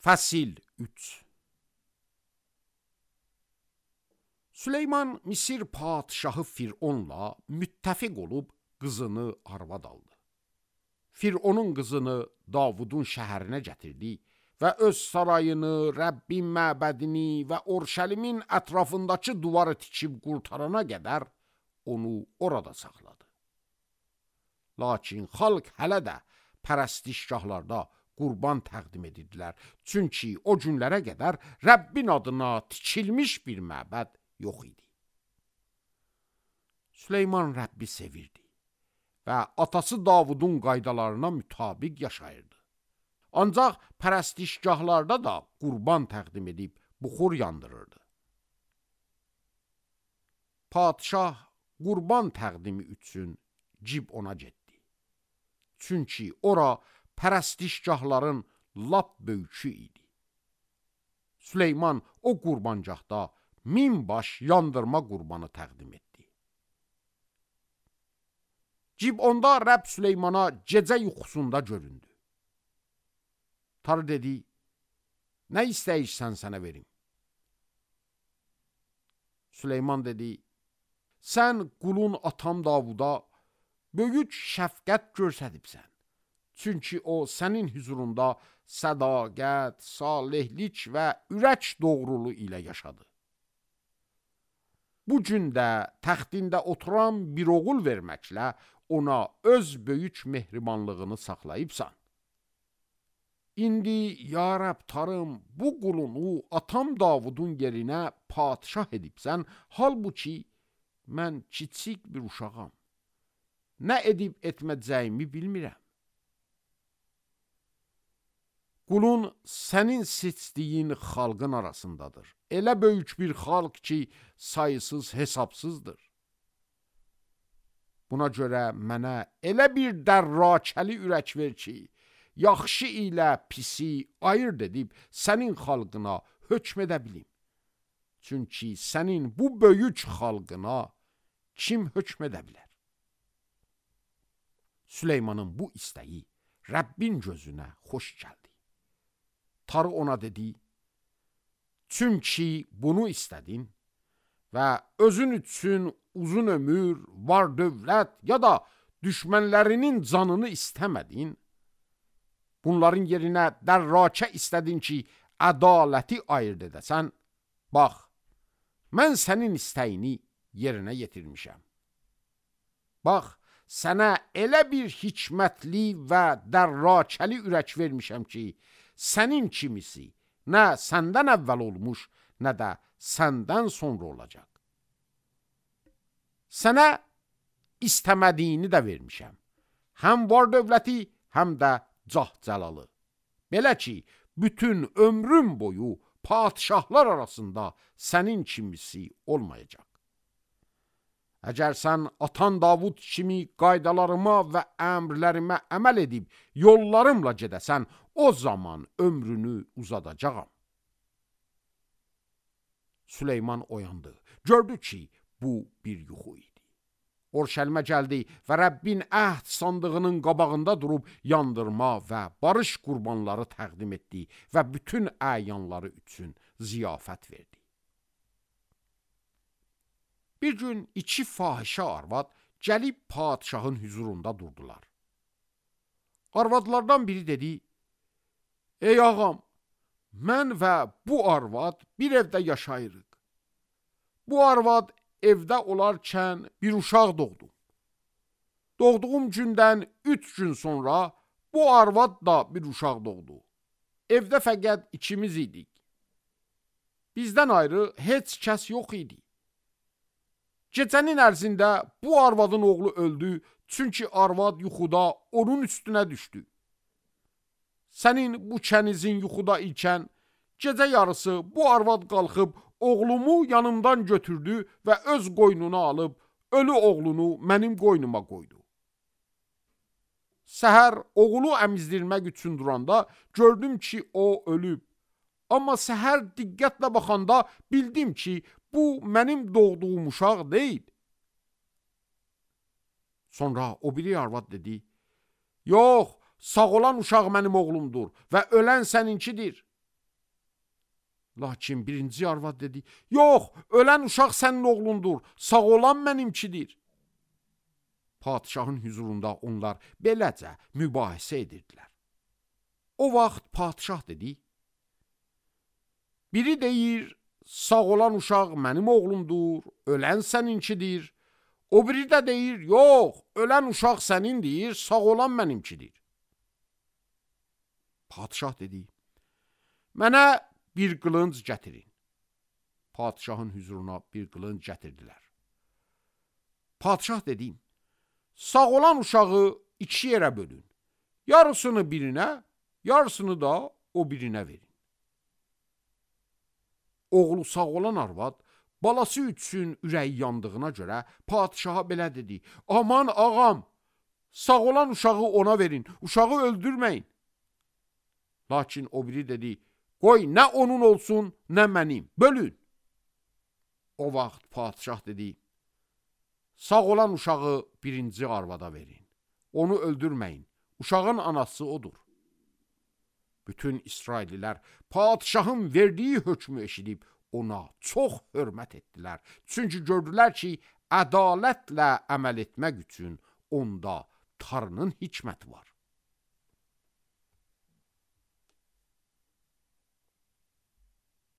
Fəsil 3. Süleyman Misir padşahı Fironla müttəfiq olub qızını arvad aldı. Fironun qızını Davudun şəhərinə gətirdi və öz sarayını, Rəbbin məbədini və Orşəlimin ətrafındakı duvarı tikib qurtarana qədər onu orada saxladı. Lakin xalq hələ də pərəstişgahlarda qurban təqdim edirdilər. Çünki o günlərə qədər Rəbbin adına tikilmiş bir məbəd yox idi. Süleyman Rəbbi sevirdi və atası Davudun qaydalarına mütabiq yaşayırdı. Ancaq pərəstişgahlarda da qurban təqdim edib buxur yandırırdı. Padşah qurban təqdimi üçün Cibona getdi. Çünki ora pərəstişgahların lap böyükü idi. Süleyman o qurbancaqda 1000 baş yandırma qurbanı təqdim etdi. Cibonda Rəbb Süleymana gecə yuxusunda göründü. Tanrı dedi, nə istəyirsən sənə verim? Süleyman dedi, sən qulun atam Davuda böyük şəfqət göstəribsən. Çünki o sənin huzurunda sədaqət, salihlik və ürək doğruluğu ilə yaşadı. Bu gün də təxtində oturan bir oğul verməklə ona öz böyük mehribanlığını saxlayıbsan. İndi, ya Rəbb Tanrım, bu qulunu atam Davudun yerinə padşah edibsən, halbuki mən kiçik bir uşağam. Nə edib etməyəcəyimi bilmirəm. Qulun sənin seçdiyin xalqın arasındadır. Elə böyük bir xalq ki, sayısız hesabsızdır. Buna görə mənə elə bir dərrakəli ürək ver ki, yaxşı ilə pisi ayırt edib sənin xalqına hökm edə bilim. Çünki sənin bu böyük xalqına kim hökm edə bilər? Süleymanın bu istəyi Rəbbin gözünə xoş gəldi. Tanrı ona dedi, çünki bunu istədin və özün üçün uzun ömür, var dövlət ya da düşmənlərinin canını istəmədin, bunların yerinə dərrakə istədin ki, ədaləti ayırt edəsən, bax, mən sənin istəyini yerinə yetirmişəm. Bax, sənə elə bir hikmətli və dərrakəli ürək vermişəm ki, sənin kimisi nə səndən əvvəl olmuş, nə də səndən sonra olacaq. Sənə istəmədiyini də vermişəm. Həm var dövləti, həm də cah-cəlalı. Belə ki, bütün ömrüm boyu padşahlar arasında sənin kimisi olmayacaq. Əgər sən atan Davud kimi qaydalarıma və əmrlərimə əməl edib yollarımla gedəsən, o zaman ömrünü uzadacağam. Süleyman oyandı. Gördü ki, bu bir yuxu idi. Orşəlimə gəldi və Rəbbin əhd sandığının qabağında durub yandırma və barış qurbanları təqdim etdi və bütün əyanları üçün ziyafət verdi. Bir gün 2 fahişə arvad gəlib padşahın huzurunda durdular. Arvadlardan biri dedi, ey ağam, mən və bu arvad bir evdə yaşayırıq. Bu arvad evdə olarkən bir uşaq doğdu. Doğduğum gündən 3 gün sonra bu arvad da bir uşaq doğdu. Evdə fəqət ikimiz idik. Bizdən ayrı heç kəs yox idi. Gecənin ərzində bu arvadın oğlu öldü, çünki arvad yuxuda onun üstünə düşdü. Sənin bu kənizin yuxuda ikən, gecə yarısı bu arvad qalxıb oğlumu yanımdan götürdü və öz qoynuna alıb, ölü oğlunu mənim qoynuma qoydu. Səhər oğlu əmizdirmək üçün duranda gördüm ki, o ölüb. Amma səhər diqqətlə baxanda bildim ki, bu mənim doğduğum uşaq deyil. Sonra o biri arvad dedi, yox, sağ olan uşaq mənim oğlumdur və ölən səninkidir. Lakin birinci arvad dedi, yox, ölən uşaq sənin oğlundur, sağ olan mənimkidir. Padişahın huzurunda onlar beləcə mübahisə edirdilər. O vaxt padişah dedi, biri deyir, sağ olan uşaq mənim oğlumdur, ölən səninkidir. O biri də deyir, yox, ölən uşaq sənindir, sağ olan mənimkidir. Padişah dedi, mənə bir qılınc gətirin. Padişahın huzuruna bir qılınc gətirdilər. Padişah dedi, sağ olan uşağı iki yerə bölün. Yarısını birinə, yarısını da o birinə verin. Oğlu sağ olan arvad balası üçün ürəyi yandığına görə padişaha belə dedi, aman ağam, sağ olan uşağı ona verin, uşağı öldürməyin. Lakin o biri dedi, qoy nə onun olsun, nə mənim, bölün. O vaxt padişah dedi, sağ olan uşağı birinci arvada verin, onu öldürməyin, uşağın anası odur. Bütün İsraillilər padişahın verdiyi hökmü eşidib ona çox hörmət etdilər. Çünki gördülər ki, ədalətlə əməl etmək üçün onda Tanrının hikməti var.